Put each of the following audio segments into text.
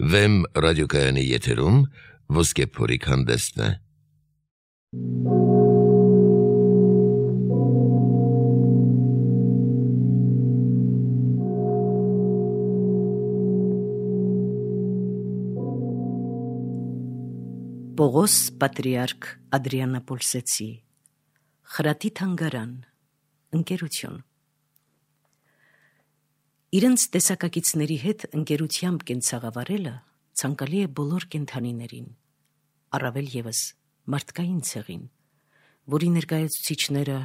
Վեմ ռադիոկայանի եթերում ոսկե փորիկ հանդեսն է։ Պողոս պատրիարք Ադրիանապոլսեցի խրատի թանգարան ընկերություն Իրենց տեսակակիցների հետ ընկերությամբ կենցաղավարելը ցանկալի է բոլոր կենդանիներին, առավել ևս մարդկային ցեղին, որի ներկայացուցիչները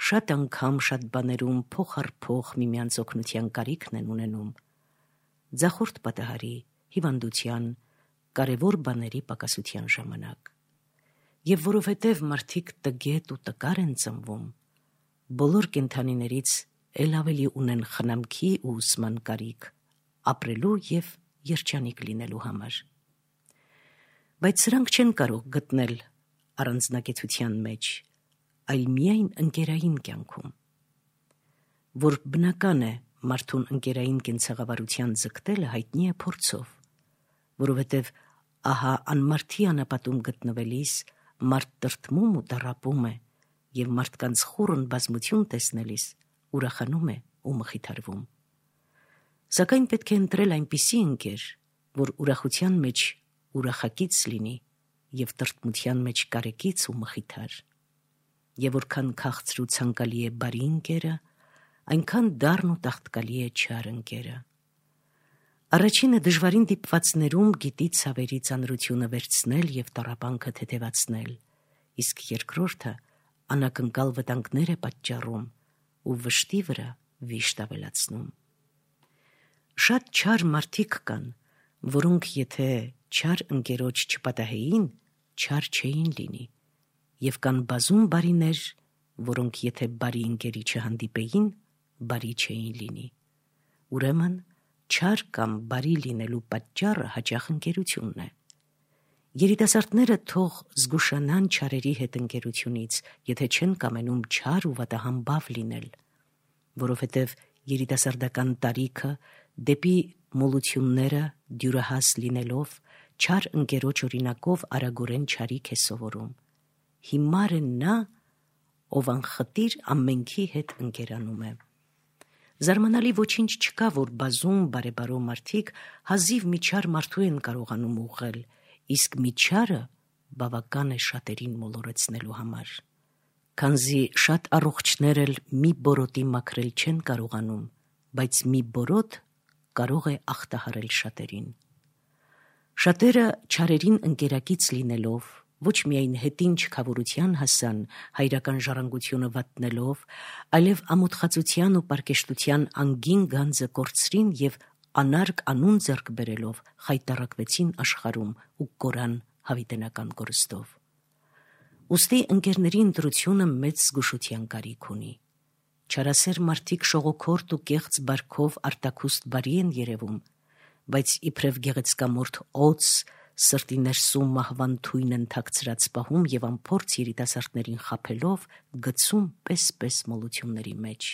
շատ անգամ շատ բաներում փող առ փող միմյանց օգնության կարիքն են ունենում, ձախորդ պատահարի, հիվանդության, կարևոր բաների պակասության ժամանակ, եւ որովհետեւ մարդիկ տգետ ու տկար են ծնվում, բոլոր կենդանիներից էլ ավելի ունեն խնամքի ու ուսման կարիք, ապրելու եւ երջանիկ լինելու համար։ Բայց սրանք չեն կարող գտնել առանձնակեցության մեջ, այլ միայն ընկերային կյանքում, որ բնական է մարդուն ընկերային կենցաղավարության ձգտելը հայտնի է փորձով, որովհետև ահա անմարդի անապատում գտնվելիս մարդ տրտմում ու տառապում է եւ մարդկանց խորն բազմություն տեսնելիս ուրախանում է ու մխիթարվում։ Սակայն պետք է ընտրել այնպիսի ընկեր, որ ուրախության մեջ ուրախակից լինի եւ տրտմության մեջ կարեկից ու մխիթար։ Եվ որքան քաղցր ու ցանկալի է բարի ընկերը, այնքան դառն ու տաղտկալի է չար ընկերը։ Առաջինը դժվարին դիպվածներում գիտի ցավերի ծանրությունը վերցնել եւ տառապանքը թեթևացնել, իսկ երկրորդը անակնկալ վտանգներ է պատճառում ու վշտի վրա վիշտ ավելացնում։ Շատ չար մարդիկ կան, որոնք եթե չար ընկերոջ չպատահեին, չար չէին լինի, եւ կան բազում բարիներ, որոնք եթե բարի ընկերի չհանդիպեին, բարի չէին լինի։ Ուրեմն չար կամ բարի լինելու պատճառը հաճախ ընկերությունն է։ Երիտասարդները թող զգուշանան չարերի հետ ընկերությունից, եթե չեն կամենում չար ու վատահամբավ լինել, որովհետև երիտասարդական տարիքը դեպի մոլությունները դյուրահաս լինելով, չար ընկերոջ օրինակով արագորեն չարիք է սովորում։ Հիմար է նա, ով անխտիր ամենքի հետ ընկերանում է։ Զարմանալի ոչինչ չկա, որ բազում բարեբարո մարդիկ հազիվ մի չար մարդու են կարողանում ուղղել, իսկ մի չարը բավական է շատերին մոլորեցնելու համար։ Քանզի շատ առողջներ էլ մի բորոտի մաքրել չեն կարողանում, բայց մի բորոտ կարող է ախտահարել շատերին։ Շատերը չարերին ընկերակից լինելով, ոչ միայն հետին չքավորության հասան, հայրական ժառանգությունը վատնելով, այլև ամոթխածության ու պարկեշտության անգին գանձը կորցրին եւ անարգ անուն ձեռք բերելով խայտառակվեցին աշխարհում ու կորան հավիտենական կորստով։ Ուստի ընկերների ընտրությունը մեծ զգուշության կարիք ունի։ Չարասեր մարդիկ շողոքորթ ու կեղծ բարքով արտաքուստ բարի են երևում, բայց իբրև գեղեցկամորթ օձ սրտի ներսում մահվան թույն են թաքցրած պահում եւ անփորձ երիտասարդներին խաբելով գցում պես մոլությունների մեջ։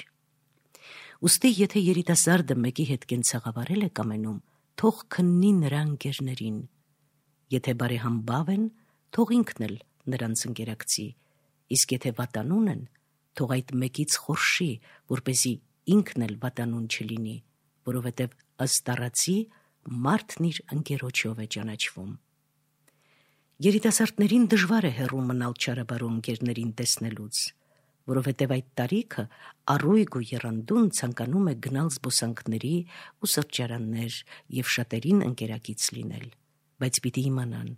Ուստի եթե երիտասարդը մեկի հետ կենցաղավարել է կամենում, թող քննի նրա ընկերներին։ Եթե բարեհամբավ են, թող ինքն էլ նրանց ընկերակցի, իսկ եթե վատանուն են, թող այդ մեկից խորշի, որպեսզի ինքն էլ վատանուն չլինի, որովհետև ըստ առածի մարդն իր ընկերոջով է ճանաչվում։ Երիտասարդներին դժվար է հեռու մնալ չարաբարո ընկերներին տեսնելուց, որովհետև այդ տարիքը առույգ ու եռանդուն ցանկանում է գնալ զբոսանքների ու սրճարաններ եւ շատերին ընկերակից լինել, բայց պիտի իմանան,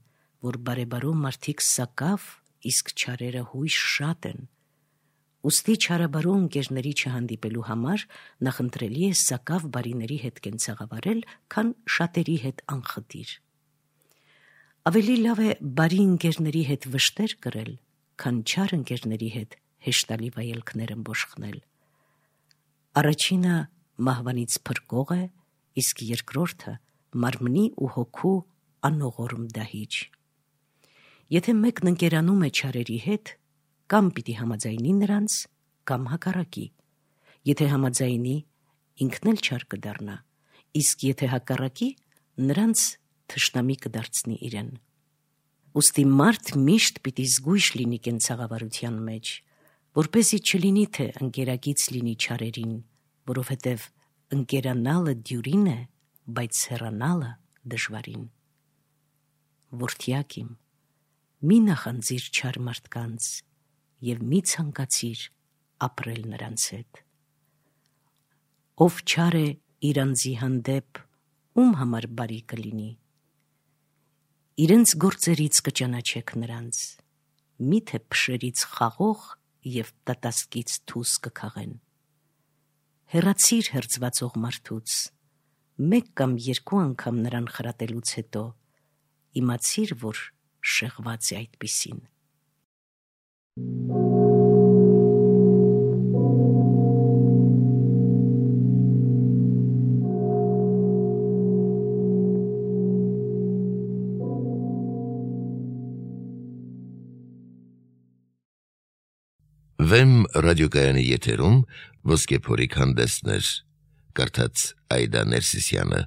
որ բարեբարո մարդիկ սակավ, իսկ չարերը հույժ շատ են։ Ուստի չարաբարո ընկերների չհանդիպելու համար նախընտրելի է սակավ բարիների հետ կենցաղավարել, քան շատերի հետ անխտիր։ Ավելի լավ է բարի ընկերների հետ վշտեր կրել, քան չար ընկերների հետ հեշտալի վայելքներ ըմբոշխնել։ Առաջինը մահվանից փրկող է, իսկ երկրորդը մարմնի ու հոգու անողորմ դահիճ։ Եթե մեկն ընկերանում է չարերի հետ, կամ պիտի համաձայնի նրանց, կամ հակառակի։ Եթե համաձայնի, ինքն էլ չար կդառնա, իսկ եթե հակառակի, նրանց թշնամի կդարձնի իրեն։ Ուստի մարդ միշտ պիտի զգույշ լինի կենցաղավարության մեջ, որպեսզի չլինի թե ընկերագից լինի չարերին, որովհետև ընկերանալը դյուրին է, բայց հեռանալը դժվարին։ Որդյակ իմ, մի նախանձիր չար մարդկանց և մի ցանկացիր ապրել նրանց հետ։ Ով չար է իր անձի հանդեպ, ում համար բարի կլինի։ Իրենց գործերից կճանաչեք նրանց, միթե փշերից խաղող և տատասկից թուս կքաղեն։ Հեռացիր հերձվածող մարդուց, մեկ կամ երկու անգամ նրան խրատելուց հետո, իմացիր, որ շեղված է այդպիսին։ Վեմ ռադիոկայանի եթերում Ոսկե փորիկ հանդեսներ, կարդաց Այդա Ներսիսյանը։